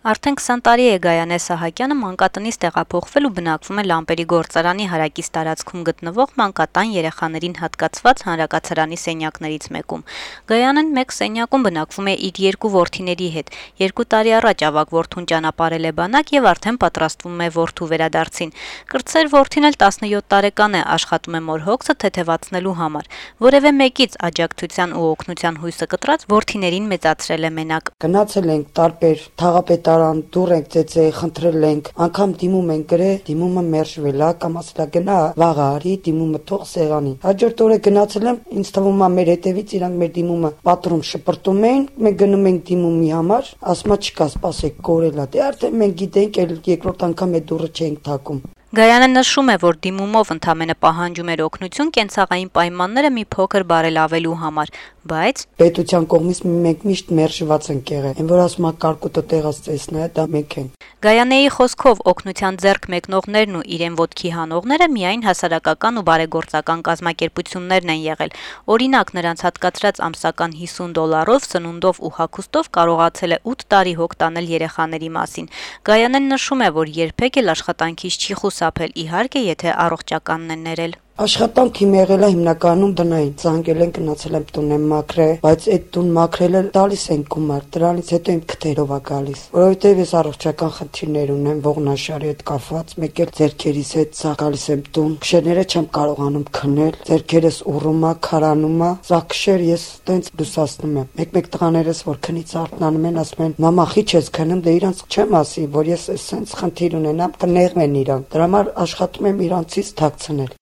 Արդեն 20 տարի է Գայանե Սահակյանը մանկատնից տեղափոխվել ու բնակվում է Լամպերի գործարանի հարակից տարածքում գտնվող մանկատան երեխաներին հատկացված հանրակացարանի սենյակներից մեկում։ Գայանեն մեկ սենյակում բնակվում է իր երկու որդիների հետ։ 2 տարի առաջ ավագ որդուն ճանապարհել է բանակ եւ արդեն պատրաստվում է որդու վերադարձին։ Կրտսեր որդին էլ 17 տարեկան է, աշխատում է մոր հոգսը թեթևացնելու համար։ Որևէ մեկից աջակցության ու օգնության հույսը կտրած որդիներին մեծացրել է մենակ։ Գնացել ենք տարբեր թաղապետարան, դուր ենք ծեծե, խնդրել ենք, անգամ դիմում ենք գրել, դիմումը մերժվել է, կամ ասել գնա վաղ արի, դիմումը թող սեղանին։ Հաջորդ օրը գնացել եմ, ինձ թվում է մեր հետևից իրանք մեր դիմումը պատրում շպրտում էին, մենք գնում ենք դիմումի համար, ասում չկա, սպասեք, կորել է։ Դե արդեն մենք գիտենք, էլ երկրորդ անգամ այդ դուռը չենք թակում։ Գայանը նշում է, որ դիմումով ընդամենը պահանջում էր օգնություն կենցաղային պայմանները մի փոքր բարելավելու համար, բայց պետության կողմից մենք միշտ մերժված ենք եղել, այն որ ասում է կարկուտը տեղած տեսնա, դա մենք ենք։ Գայանեի խոսքով օգնության ձեռք մեկնողներն ու իրեն ոտքի հանողները միայն հասարակական ու բարեգործական կազմակերպություններն են եղել։ Օրինակ, նրանց հատկացրած ամսական $50 սնունդով ու հագուստով կարողացել է 8 տարի հոգ տանել երեխաների մասին։ Գայանեն նշում է, որ երբեք էլ աշխատանքից չի խուսափել, իհարկե, եթե առողջականն են ներել։ Աշխատանք իմ եղել է հիմնականում տնային, զանգել են գնացել եմ տուն եմ մաքրել, բայց այդ տուն մաքրելը տալիս են գումար, դրանից հետո իմ քթերով է գալիս, որովհետև ես առողջական խնդիրներ ունեմ ողնաշարի հետ կապված, մեկ էլ ձեռքերիս հետ սա գալիս եմ տուն, քշերները չեմ կարողանում քնել, ձեռքերս ուռում է, քարանում է, սա քշեր ես տենց լուսացնում եմ։ Մեկ տղաներս որ քնից արթնանում են, ասում են մամա խիչ ես քնում, դե իրանց չեմ ասի, որ ես այսպես խնդիր ունենամ, կնեղվեն իրանք, դրա համար աշխատում եմ իրանցից թաքցնել։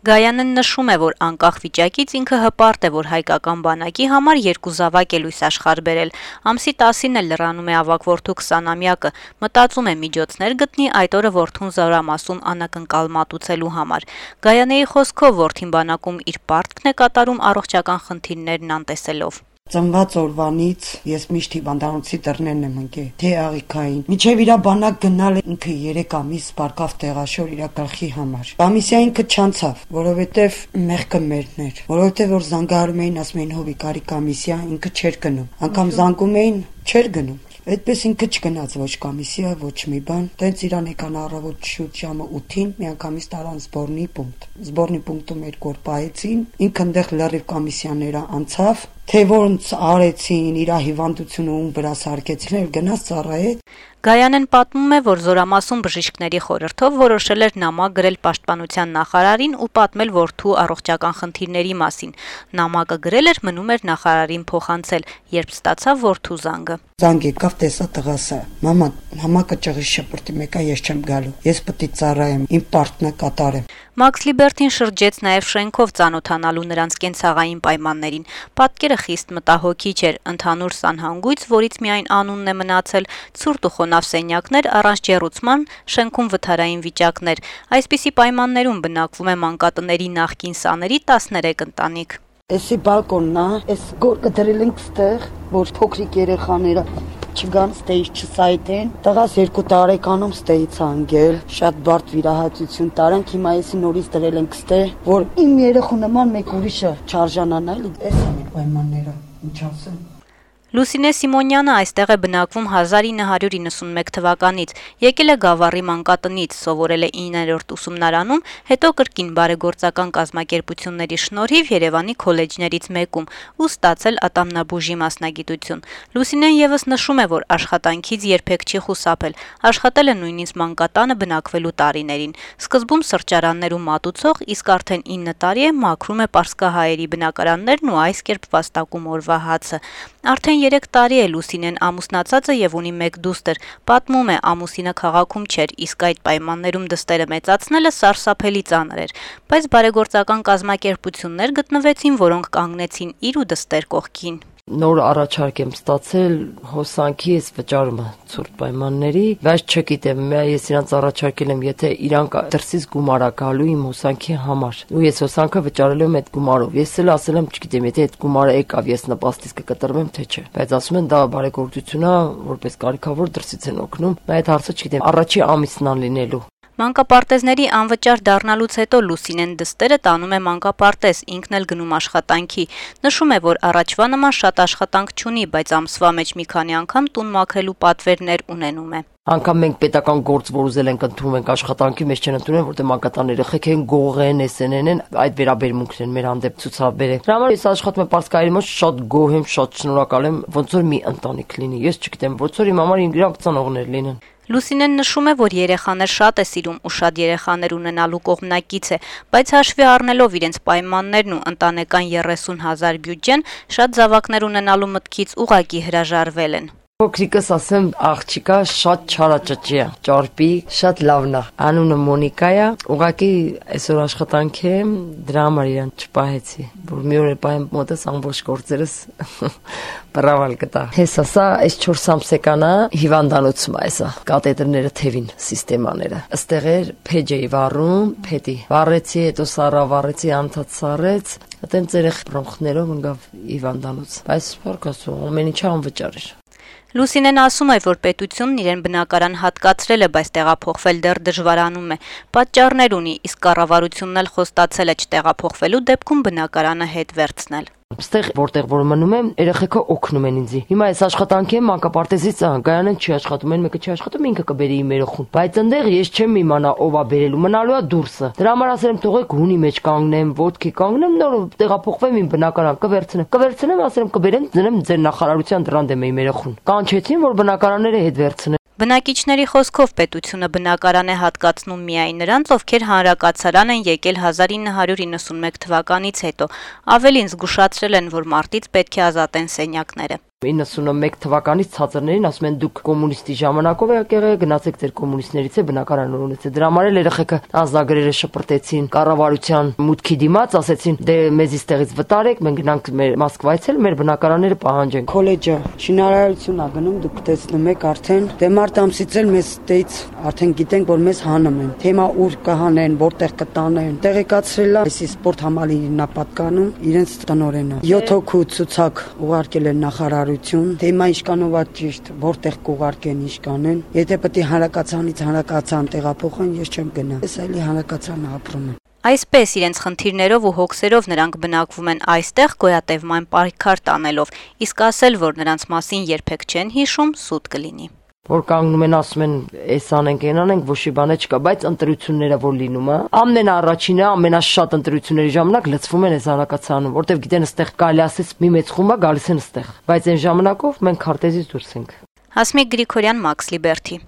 Գայանեն նշում է, որ անկախ վիճակից ինքը հպարտ է, որ հայկական բանակի համար 2 զավակ է լույս աշխարհ բերել։ Ամսի 10-ին էլ լրանում է ավագ որդու 20-ամյակը, մտածում է միջոցներ գտնի այդ օրը որդուն զորամասում անակնկալ մատուցելու համար։ Գայանեի խոսքով որդին բանակում իր պարտքն է կատարում առողջական խնդիրներն անտեսելով։ Ծնված օրվանից ես միշտ հիվանդանոցի դռներն եմ ընկել, թե աղիքային։ Մինչև իր բանակ գնալ ինքը 3 ամիս բարկավ տեղաշոր իր գլխի համար։ Կոմիսիա ինքը չանցավ, որովհետև մեղքը մերն էր, որովհետև որ զանգահարում էին, ասում էին հովի կարի կոմիսիա, ինքը չէր գնում։ Անգամ զանգում էին, չէր գնում։ Այդպես ինքը չգնաց ոչ կոմիսիա, ոչ մի բան։ Տենց իրան եկան առավոտ շուտ ժամը 8-ին, միանգամից տարան զբորնի պունկտ։ Զբորնի պունկտում 2 օր պահեցին, ինքը այնտեղ լրիվ կոմիսիաները անցավ, թե ոնց արեցին, իր հիվանդությունը ում վրա սարքեցին, գնաց ծառայեց։ Գայանեն պատմում է, որ զորամասում բժիշկների խորհրդով որոշել էր նամակ գրել պաշտպանության նախարարին ու պատմել որդու առողջական խնդիրների մասին։ Նամակը գրել էր, մնում էր նախարարին փոխանցել, երբ ստացավ որդու զանգը։ Զանգ եկավ, տեսա տղասը։ Մամա, նամակը ճղի շպրտի մեկա, ես չեմ գալու։ Ես պետք է ծառայեմ, իմ պարտն է կատարեմ։ Մաքս Լիբերթին շրջեց նաև շենքով ծանոթանալու նրանց կենցաղային պայմաններին։ Պատկերը խիստ մտահոգիչ էր, ընդհանուր սանհանգույց, որից միայն անունն է մնացել, ցուրտ ու խոնավ սենյակներ առանց ջեռուցման, շենքում վթարային վիճակներ։ Այսպիսի պայմաններում բնակվում է մանկատների նախկին սաների 13 ընտանիք։ Էսի բալկոնն է, էս գորգը դրել ենք ստեղ, որ փոքրիկ երեխաները չգան ստեից չսայթեն։ Տղաս 2 տարեկանում ստեից անգել, շատ բարդ վիրահատություն տարանք, հիմա էսի նորից դրել ենք ստեղ, որ իմ երեխու նման մեկ ուրիշը չարժանանա, էս են պայմանները, ինչ ասեմ։ Լուսինե Սիմոնյանը այստեղ է բնակվում 1991 թվականից, եկել է Գավառի մանկատնից, սովորել է 9-րդ ուսումնարանում, հետո կրկին բարեգործական կազմակերպությունների շնորհիվ Երևանի քոլեջներից մեկում ու ստացել ատամնաբուժի մասնագիտություն։ Լուսինեն եւս նշում է, որ աշխատանքից երբեք չի խուսափել, աշխատել է նույնիսկ մանկատանը բնակվելու տարիներին։ Սկզբում սրճարաններում մատուցող, իսկ արդեն 9 տարի է մաքրում է պարսկահայերի բնակարաններն ու այս կերպ վաստակում օրվա հացը։ Արդեն 3 տարի է Լուսինեն ամուսնացած է եւ ունի 1 դուստր։ Պատմում է, ամուսինը քաղաքում չէր, իսկ այդ պայմաններում դստերը մեծացնելը սարսափելի ծանր էր, բայց բարեգործական կազմակերպություններ գտնվեցին, որոնք կանգնեցին իր ու դստեր կողքին։ Նոր առաջարկ եմ ստացել հոսանքի ես վճարումը ցուրտ պայմանների, բայց չգիտեմ, ես իրանց առաջարկել եմ, եթե իրանք դրսից գումար գալու իմ հոսանքի համար, ու ես հոսանքը վճարելու եմ այդ գումարով։ Ես էլ ասել եմ, չգիտեմ, եթե այդ գումարը եկավ, ես նպաստից կկտրվեմ, թե չէ։ Բայց ասում են դա բարեգործություն է, որպես կարիքավոր դրսից են օգնում։ Այդ հարցը չգիտեմ, առաջի ամիսն ան լինելու։ Մանկապարտեզների անվճար դառնալուց հետո Լուսինեն դստերը տանում է մանկապարտեզ, ինքն էլ գնում աշխատանքի։ Նշում է, որ առաջվա նման շատ աշխատանք չունի, բայց ամսվա մեջ մի քանի անգամ տուն մաքրելու պատվերներ ունենում է։ Անկամ մենք պետական գործ, որ ուզել ենք ընդունում ենք աշխատանքի, մեզ չեն ընդունել, որտեղ մանկատան երեխեք են, գող են, SNN են, այդ վերաբերմունքն են մեր հանդեպ ցուցաբերել։ Դրա համար ես աշխատում եմ Պարսկայերի մոտ, շատ գոհ եմ, շատ շնորհակալ եմ, ոնց որ մի ընտանիք լինի։ Ես չգիտեմ, ոնց որ իմ համար իրանք ծանոթներ լինեն։ Լուսինեն նշում է, որ երեխաներ շատ է սիրում ու շատ երեխաներ ունենալու կողմնակից է, բայց հաշվի առնելով իրենց պայմաններն ու ընտանեկան 30,000 բյուջեն, շատ զավակներ ունենալու մտքից ուղղակի հրաժարվել են։ Փոքրիկս ասեմ, աղջիկա շատ չարաճճի է, ճարպի, շատ լավն է։ Անունը Մոնիկա է, ուղղակի այսօր աշխատանք է, դրա համար իրան չպահեցի, որ մի օր է պահեմ մոտս ամբողջ գործերս բրավալ կտա։ Հեսա սա այս 4 ամսեկանա հիվանդանոցում է սա, կաթեդրները թևին սիստեմաները։ Այստեղ էր փեջեի վառում, փետի։ Վառեցի, հետո սառա վառեցի, անդադ սառեց, այդտենց երեխ բրոնխներով ընկավ հիվանդանոց։ Բայց փառքաստու ամեն ինչը անվճար էր։ Լուսինեն ասում է, որ պետությունն իրեն բնակարան հատկացրել է, բայց տեղափոխվել դեռ դժվարանում է։ Պատճառներ ունի, իսկ կառավարությունն էլ խոստացել է չտեղափոխվելու դեպքում բնակարանը հետ վերցնել։ Այստեղ որտեղ որ մնում եմ, երեխեքը օգնում են ինձ։ Հիմա այս աշխատանքի եմ մանկապարտեզից գայանեն չի աշխատում, մեկը չի աշխատում, ինքը կբերի իմ երեխուն։ Բայց այնտեղ ես չեմ իմանա ով է բերելու, մնալու է դուրսը։ Դրա համար ասել եմ թողեք հունի մեջ կանգնեմ, ոտքի կանգնեմ, նոր տեղափոխվեմ իմ բնակարան, կվերցնեմ, ասել եմ կբերեմ, դնեմ ձեր նախարարության դրան դեմ իմ երեխուն։ Կանչեցին, որ բնակարանները հետ վերցնեն։ Բնակիչների խոսքով պետությունը բնակարան է հատկացնում միայն նրանց, ովքեր հանրակացարան են եկել 1991 թվականից հետո։ Ավելին զգուշացրել են, որ մարտից պետք է ազատեն սենյակները։ 91 թվականից ցածրներին ասում են դուք կոմունիստի ժամանակով եք եղել, գնացեք ձեր կոմունիստներից է բնակարան ունեցեք։ Դրա համար էլ երեխեքը ազնագրերը շպրտեցին կառավարության մուտքի դիմաց, ասեցին դե մեզ իստեղից վտարեք, մենք գնանք մեր Մոսկվայից էլ մեր բնակարանները պահանջենք։ Քոլեջը շինարարություն է գնում, դուք տեսնում եք արդեն, դե մարտ ամսից էլ մեզ ստեից արդեն գիտենք, որ մեզ հանում են։ Թեմա ուր կհանեն, որտեղ կտանեն։ Տեղեկացրել է այսի սպորտ համալիրն է պատկանում, իրենց տնօրենը։ 7 հոգու ցուցակ ուղարկել են նախարարություն, թեմա ինչքանով է ճիշտ, որտեղ կուղարկեն, ինչքան են։ Եթե պետք է հանրակացանից հանրակացան տեղափոխեն, ես չեմ գնա։ Ես այլի հանրակացան ապրում եմ։ Այսպես իրենց խնդիրներով ու հոգսերով նրանք բնակվում են այստեղ գոյատևման պայքար տանելով, իսկ ասել, որ նրանց մասին երբեք չեն հիշում, սուտ կլինի։ Որ կանգնում են ասում են, էս անենք, այն անենք, ոչ մի բան չկա, բայց ընտրությունները որ լինում է, ամենաառաջինը, ամենաշատ ընտրությունների ժամանակ լցվում են այս հանրակացարանում, որտեվ գիտեն այստեղ կարելի ասես մի մեծ խումբ է գալիս են այստեղ, բայց այն ժամանակով մենք քարտեզից դուրս ենք։ Հասմիկ Գրիգորյան, Մաքս Լիբերթի։